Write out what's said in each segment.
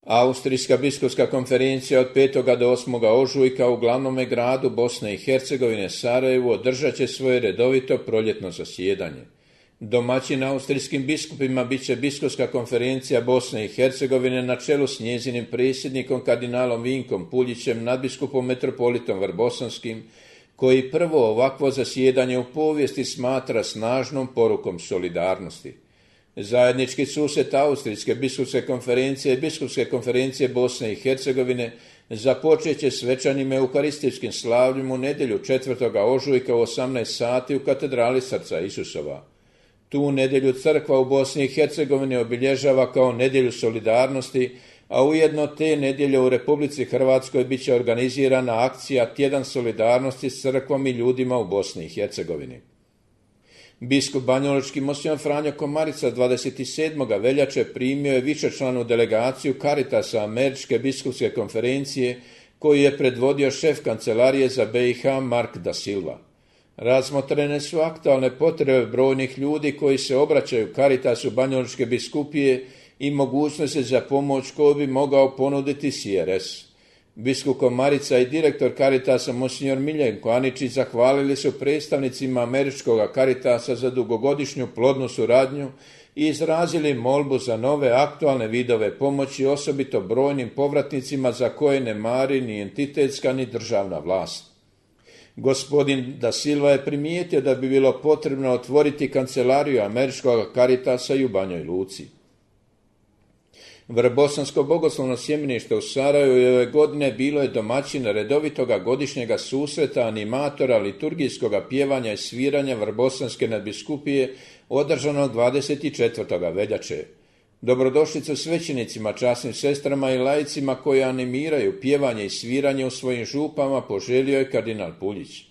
Austrijska biskupska konferencija od 5. do 8. ožujka u glavnome gradu Bosne i Hercegovine Sarajevu održat će svoje redovito proljetno zasjedanje. Domaćin austrijskim biskupima bit će biskupska konferencija Bosne i Hercegovine na čelu s njezinim predsjednikom kardinalom Vinkom Puljićem, nadbiskupom metropolitom Vrbosanskim, koji prvo ovakvo zasjedanje u povijesti smatra snažnom porukom solidarnosti. Zajednički susret Austrijske biskupske konferencije i Biskupske konferencije Bosne i Hercegovine započet će svečanim euharistijskim slavljem u nedjelju 4. ožujka u 18 sati u katedrali Srca Isusova. Tu nedjelju crkva u Bosni i Hercegovini obilježava kao nedjelju solidarnosti, a ujedno te nedjelje u Republici Hrvatskoj bit će organizirana akcija Tjedan solidarnosti s crkvom i ljudima u Bosni i Hercegovini. Biskup banjalučki Monsignor Franjo Komarica 27. veljače primio je višečlanu delegaciju Caritasa Američke biskupske konferencije koju je predvodio šef kancelarije za BiH Mark da Silva. Razmotrene su aktualne potrebe brojnih ljudi koji se obraćaju Caritasu banjalučke biskupije i mogućnosti za pomoć koju bi mogao ponuditi CRS. Biskup Komarica i direktor Caritasa Monsignor Miljenko Aničić zahvalili su predstavnicima Američkog Caritasa za dugogodišnju plodnu suradnju i izrazili molbu za nove aktualne vidove pomoći, osobito brojnim povratnicima za koje ne mari ni entitetska ni državna vlast. Gospodin da Silva je primijetio da bi bilo potrebno otvoriti kancelariju Američkog Caritasa i u Banjoj Luci. Vrbosansko bogoslovno sjemenište u Sarajevu ove godine bilo je domaćin redovitoga godišnjega susreta animatora liturgijskoga pjevanja i sviranja Vrbosanske nadbiskupije održanog 24. veljače. Dobrodošlicu svećenicima, časnim sestrama i laicima koji animiraju pjevanje i sviranje u svojim župama poželio je kardinal Puljić.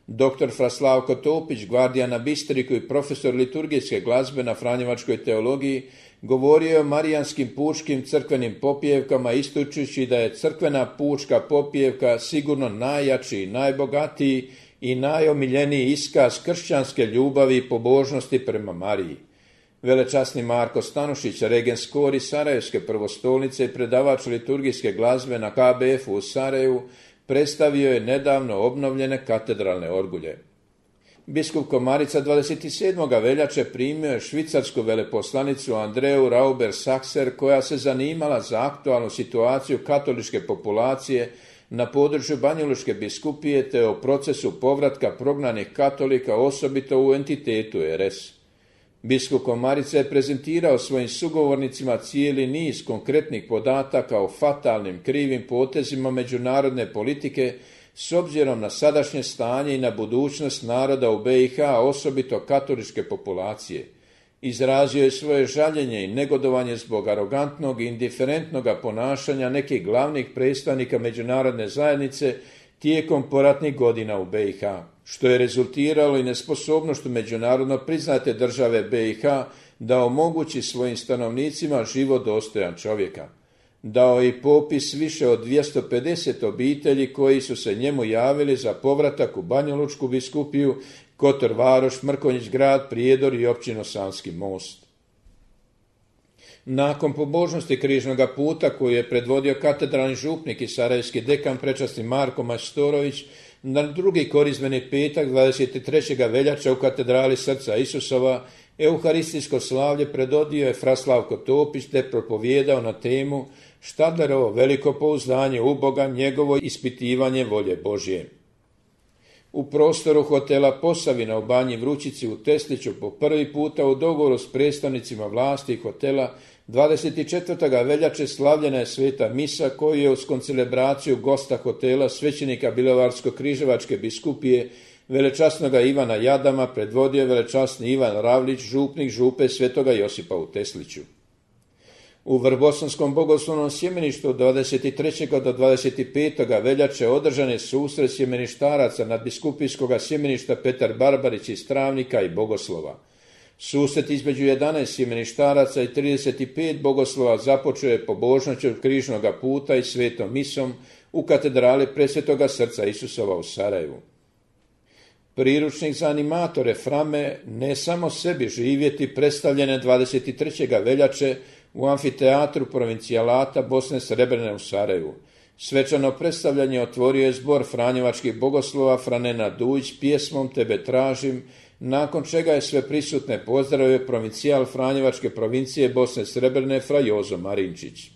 Dr. Fraslavko Topić, gvardija na Bistriku i profesor liturgijske glazbe na Franjevačkoj teologiji, govorio je o marijanskim pučkim crkvenim popjevkama, ističući da je crkvena pučka popjevka sigurno najjači, najbogatiji i najomiljeniji iskaz kršćanske ljubavi i pobožnosti prema Mariji. Velečasni Marko Stanušić, regens kori Sarajevske prvostolnice i predavač liturgijske glazbe na KBF-u u Sarajevu, predstavio je nedavno obnovljene katedralne orgulje. Biskup Komarica 27. veljače primio je švicarsku veleposlanicu Andreu Rauber-Sakser koja se zanimala za aktualnu situaciju katoličke populacije na području Banjalučke biskupije te o procesu povratka prognanih katolika, osobito u entitetu RS. Biskup Komarica je prezentirao svojim sugovornicima cijeli niz konkretnih podataka o fatalnim krivim potezima međunarodne politike s obzirom na sadašnje stanje i na budućnost naroda u BiH, osobito katoličke populacije. Izrazio je svoje žaljenje i negodovanje zbog arogantnog i indiferentnog ponašanja nekih glavnih predstavnika međunarodne zajednice tijekom poratnih godina u BiH, što je rezultiralo i nesposobnošću međunarodno priznate države BiH da omogući svojim stanovnicima život dostojan čovjeka. Dao je i popis više od 250 obitelji koji su se njemu javili za povratak u Banjalučku biskupiju, Kotor Varoš, Mrkonjić grad, Prijedor i općinu Sanski Most. Nakon pobožnosti križnoga puta koju je predvodio katedralni župnik i sarajevski dekan prečasni Marko Majstorović, na drugi korizmeni petak 23. veljače u katedrali Srca Isusova euharistijsko slavlje predvodio je Fraslavko Topić te propovijedao na temu Štadlerovo veliko pouzdanje u Boga, njegovo ispitivanje volje Božje. U prostoru hotela Posavina u Banji Vrućici u Tesliću po prvi puta u dogovoru s predstavnicima vlasti hotela 24. veljače slavljena je sveta misa koju je uz koncelebraciju gosta hotela svećenika Bjelovarsko-križevačke biskupije velečasnoga Ivana Jadama predvodio velečasni Ivan Ravlić, župnik župe Svetoga Josipa u Tesliću. U Vrbosanskom bogoslovnom sjemeništu od 23. do 25. veljače održan je susret sjemeništaraca nadbiskupijskog sjemeništa Petar Barbarić iz Travnika i Bogoslova. Susret između 11 sjemeništaraca i 35 bogoslova započeo je pobožnošću križnoga puta i svetom misom u katedrali Presvetoga Srca Isusova u Sarajevu. Priručnik za animatore Frame Ne samo sebi živjeti predstavljene 23. veljače u amfiteatru provincijalata Bosne Srebrene u Sarajevu. Svečano predstavljanje otvorio je zbor franjevačkih bogoslova Franena Dujić pjesmom Tebe tražim, nakon čega je sve prisutne pozdravio provincijal Franjevačke provincije Bosne Srebrene fra Jozo Marinčić.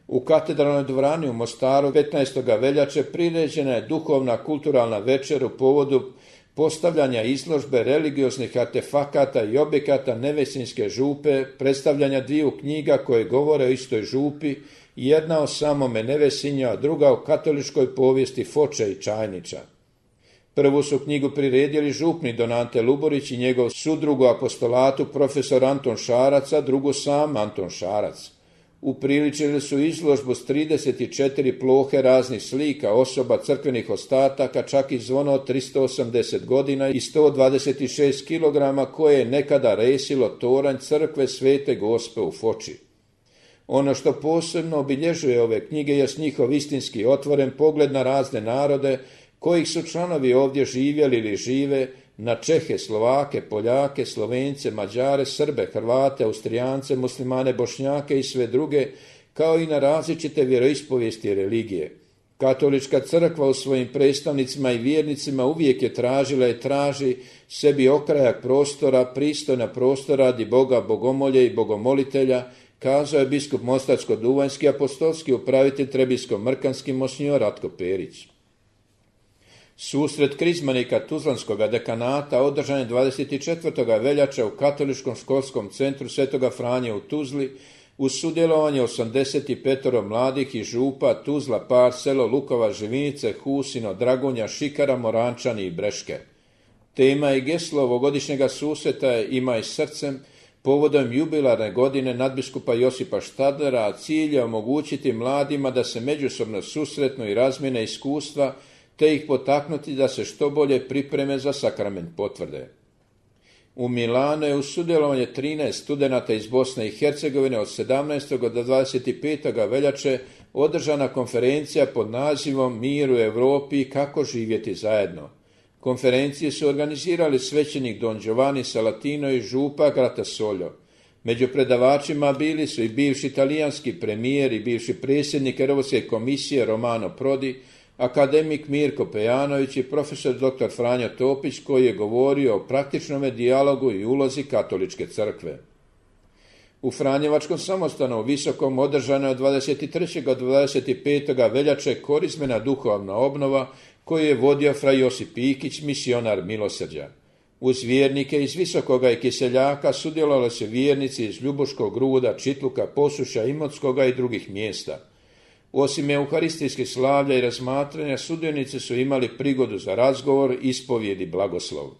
U katedralnoj dvorani u Mostaru 15. veljače priređena je duhovna kulturalna večer u povodu postavljanja izložbe religioznih artefakata i objekata Nevesinjske župe, predstavljanja dviju knjiga koje govore o istoj župi, jedna o samome Nevesinju, a druga o katoličkoj povijesti Foče i Čajnića. Prvu su knjigu priredili župni Don Ante Luborić i njegov sudrug u apostolatu profesor Anton Šarac, a drugu sam Anton Šarac. Upriličili su izložbu s 34 plohe raznih slika, osoba, crkvenih ostataka, čak i zvono od 380 godina i 126 kg koje je nekada resilo toranj crkve Svete Gospe u Foči. Ono što posebno obilježuje ove knjige je njihov istinski otvoren pogled na razne narode kojih su članovi ovdje živjeli ili žive, na Čehe, Slovake, Poljake, Slovence, Mađare, Srbe, Hrvate, Austrijance, Muslimane, Bošnjake i sve druge, kao i na različite vjeroispovijesti i religije. Katolička crkva u svojim predstavnicima i vjernicima uvijek je tražila i traži sebi okrajak prostora, pristojna prostora radi Boga, bogomolje i bogomolitelja, kazao je biskup Mostarsko-duvanjski apostolski upravitelj Trebinsko-mrkanski monsinjor Ratko Perić. Susret krizmanika Tuzlanskog dekanata održan je 24. veljače u Katoličkom školskom centru Svetoga Franje u Tuzli uz sudjelovanje 85 mladih i župa Tuzla, Par, Selo, Lukova, Živinice, Husino, Dragonja, Šikara, Morančani i Breške. Tema i geslo ovogodišnjega susreta je Imaj srcem, povodom jubilarne godine nadbiskupa Josipa Štadlera, a cilj je omogućiti mladima da se međusobno susretnu i razmjene iskustva, te ih potaknuti da se što bolje pripreme za sakrament potvrde. U Milanu je uz sudjelovanje 13 studenata iz Bosne i Hercegovine od 17. do 25. veljače održana konferencija pod nazivom Mir u Europi i kako živjeti zajedno. Konferencije su organizirali svećenik Don Giovanni Salatino i župa Gratasoljo. Među predavačima bili su i bivši talijanski premijer i bivši predsjednik Europske komisije Romano Prodi, akademik Mirko Pejanović i profesor dr. Franjo Topić koji je govorio o praktičnome dijalogu i ulozi katoličke crkve. U Franjevačkom samostanu u Visokom održana je od 23. do 25. veljače korizmena duhovna obnova koju je vodio fra Josip Pikić, misionar milosrđa. Uz vjernike iz Visokoga i Kiseljaka sudjelovali su vjernici iz Ljubuškog, Gruda, Čitluka, Posušja, Imotskoga i drugih mjesta. Osim euharistijskih slavlja i razmatranja, sudionici su imali prigodu za razgovor, ispovijed i blagoslov.